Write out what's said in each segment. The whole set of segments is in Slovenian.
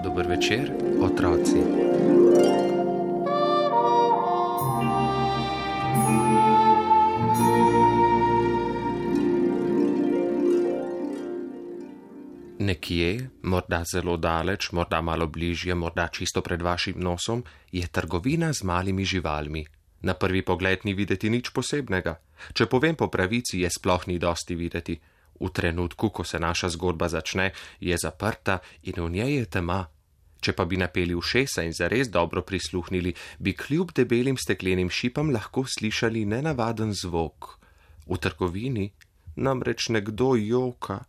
Dober večer, otroci. Nekje, morda zelo daleč, morda malo bližje, morda čisto pred vašim nosom, je trgovina z malimi živalmi. Na prvi pogled ni videti nič posebnega. Če povem po pravici, je sploh ni dosti videti. V trenutku, ko se naša zgodba začne, je zaprta in v njej je tema. Če pa bi napeli ušesa in zares dobro prisluhnili, bi kljub debelim steklenim šipam lahko slišali nenavaden zvok. V trgovini namreč nekdo joka.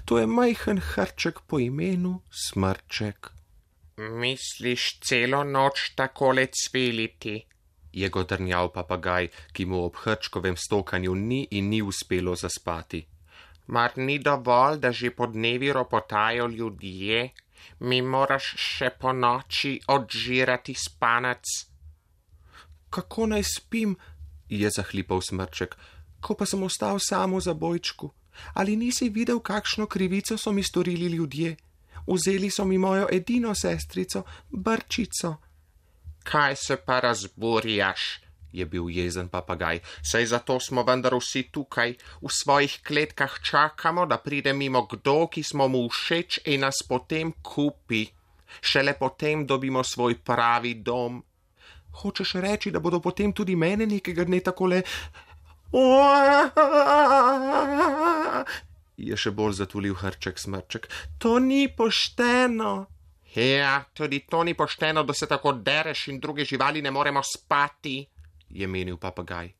To je majhen hrček po imenu Smrček. Misliš celo noč takole cviliti? Je godrnjal papagaj, ki mu ob hrčkovem stokanju ni in ni uspelo zaspati. Mar ni dovolj, da že po dnevi ropotajo ljudje? Mi moraš še po noči odžirati spanec. Kako naj spim, je zahlipal Smrček, ko pa sem ostal sam v zabojčku. Ali nisi videl, kakšno krivico so mi storili ljudje? Vzeli so mi mojo edino sestrico, Brčico. Kaj se pa razburjaš? Je bil jezen papagaj. Saj zato smo vendar vsi tukaj, v svojih kletkah čakamo, da pride mimo kdo, ki smo mu všeč in nas potem kupi. Šele potem dobimo svoj pravi dom. Hočeš reči, da bodo potem tudi mene nekega dne takole... Je še bolj zatulil hrček Smrček. To ni pošteno. Ja, tudi to ni pošteno, da se tako dereš in druge živali ne moremo spati, je menil papagaj.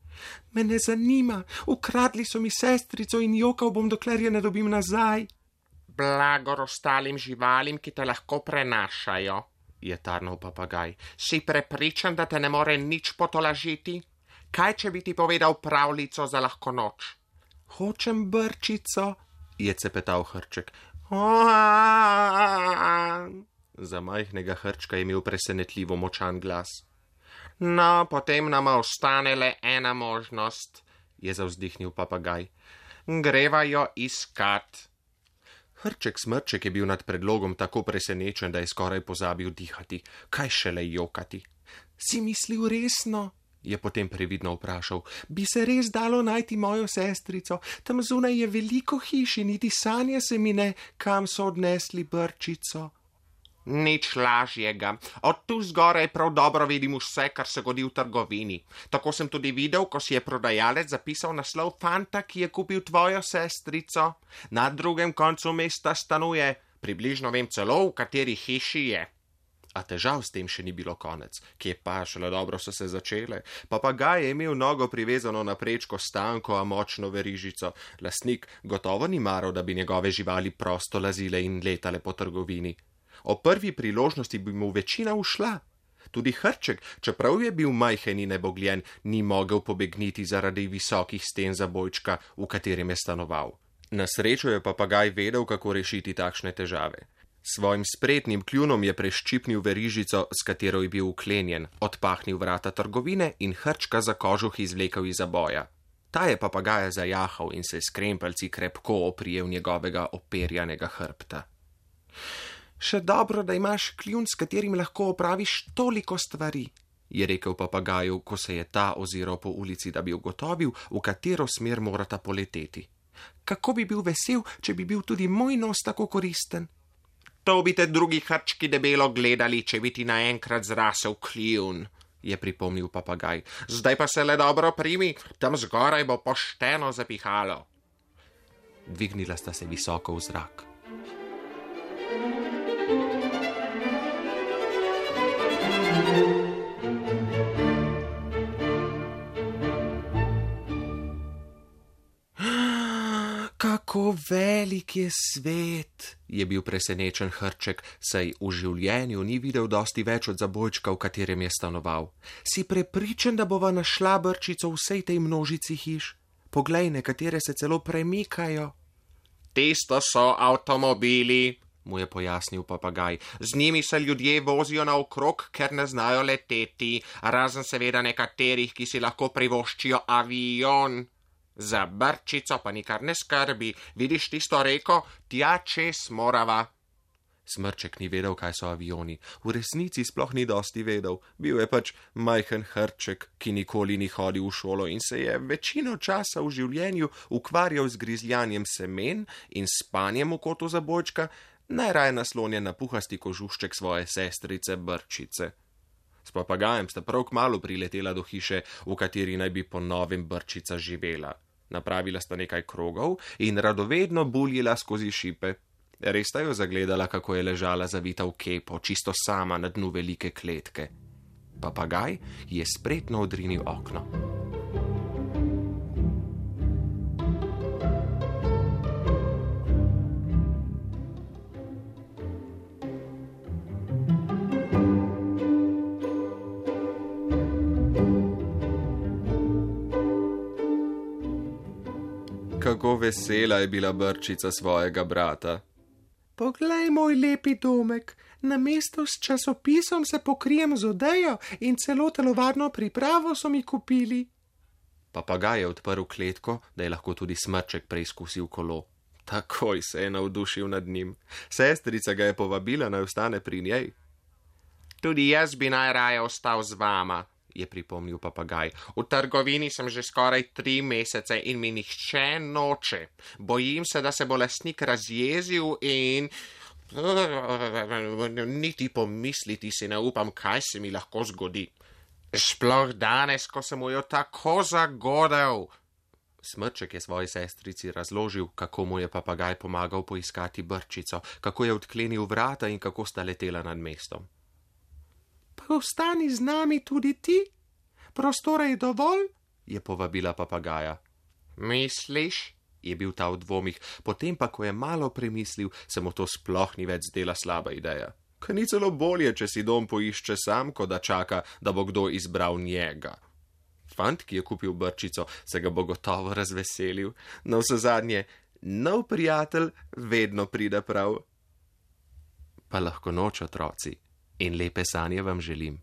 Me ne zanima, ukradli so mi sestrico in jokal bom, dokler je ne dobim nazaj. Blagor ostalim živalim, ki te lahko prenašajo, je tarnal papagaj. Si prepričan, da te ne more nič potolažiti? Kaj, če bi ti povedal pravljico za lahko noč? Hočem Brčico, je cepetal hrček. Za majhnega hrčka je imel presenetljivo močan glas. No, potem nama ostane le ena možnost, je zavzdihnil papagaj. Greva jo iskat. Hrček Smrček je bil nad predlogom tako presenečen, da je skoraj pozabil dihati. Kaj šele jokati? Si mislil resno? Je potem previdno vprašal. Bi se res dalo najti mojo sestrico? Tam zunaj je veliko hiš in niti sanje se mi ne, kam so odnesli Brčico. Nič lažjega. Od tu zgoraj prav dobro vidim vse, kar se godi v trgovini. Tako sem tudi videl, ko si je prodajalec zapisal naslov fanta, ki je kupil tvojo sestrico. Na drugem koncu mesta stanuje. Približno vem celo, v kateri hiši je. A težav s tem še ni bilo konec. Kje pa, šele dobro so se začele. Papagaj je imel nogo privezano na prečko s tanko, a močno verižico. Lastnik gotovo ni maral, da bi njegove živali prosto lazile in letale po trgovini. O prvi priložnosti bi mu večina ušla. Tudi hrček, čeprav je bil majhen in nebogljen, ni mogel pobegniti zaradi visokih sten zabojčka, v katerem je stanoval. Na srečo je papagaj vedel, kako rešiti takšne težave. Svojim spretnim kljunom je preščipnil verižico, s katero je bil uklenjen, odpahnil vrata trgovine in hrčka za kožuh izvlekel iz zaboja. Ta je papagaja zajahal in se s krempelci krepko oprijel njegovega operjanega hrbta. Še dobro, da imaš kljun, s katerim lahko opraviš toliko stvari, je rekel papagaju, ko se je ta oziral po ulici, da bi ugotovil, v katero smer morata poleteti. Kako bi bil vesel, če bi bil tudi moj nos tako koristen? To bi te drugi hrčki debelo gledali, če bi ti naenkrat zrasel kljun, je pripomnil papagaj. Zdaj pa se le dobro primi, tam zgoraj bo pošteno zapihalo. Dvignila sta se visoko v zrak. Kako Kako velik je svet, je bil presenečen Hrček, saj v življenju ni videl dosti več od zabojčka, v katerem je stanoval. Si prepričan, da bova našla brčico v vsej tej množici hiš? Poglej, nekatere se celo premikajo. Tisto so avtomobili, mu je pojasnil papagaj. Z njimi se ljudje vozijo naokrog, ker ne znajo leteti, razen seveda nekaterih, ki si lahko privoščijo avion. Za brčico pa nikar ne skrbi, vidiš tisto reko, tja čez morava. Smrček ni vedel, kaj so avioni. V resnici sploh ni dosti vedel. Bil je pač majhen Hrček, ki nikoli ni hodil v šolo in se je večino časa v življenju ukvarjal z grizljanjem semen in spanjem v kotu zabojčka, najraje naslonjen na puhasti kožušček svoje sestrice Brčice. S papagajem sta prav kmalu priletela do hiše, v kateri naj bi po novem Brčica živela. Napravila sta nekaj krogov in radovedno buljila skozi šipe. Res sta jo zagledala, kako je ležala zavita v kepo, čisto sama na dnu velike kletke. Papagaj je spretno odrinil okno. Kako vesela je bila Brčica svojega brata. Poglej, moj lepi domek, namesto s časopisom se pokrijem z odejo in celo telovadno pripravo so mi kupili. Papagaj je odprl kletko, da je lahko tudi Smrček preizkusil kolo. Takoj se je navdušil nad njim. Sestrica ga je povabila, naj ostane pri njej. Tudi jaz bi najraje ostal z vama, je pripomnil papagaj. V trgovini sem že skoraj 3 mesece in mi nihče noče. Bojim se, da se bo lastnik razjezil in niti pomisliti si ne upam, kaj se mi lahko zgodi. Sploh danes, ko sem mu jo tako zagodel. Smrček je svoji sestrici razložil, kako mu je papagaj pomagal poiskati Brčico, kako je odklenil vrata in kako sta letela nad mestom. Pa ostani z nami tudi ti? Prostora je dovolj? Je povabila papagaja. Misliš? Je bil ta v dvomih, potem pa, ko je malo premislil, se mu to sploh ni več zdela slaba ideja. Kaj ni celo bolje, če si dom poišče sam, ko da čaka, da bo kdo izbral njega. Fant, ki je kupil Brčico, se ga bo gotovo razveselil. Navsezadnje, nov prijatelj vedno pride prav. Pa lahko noč, otroci. In lepe sanje vam želim.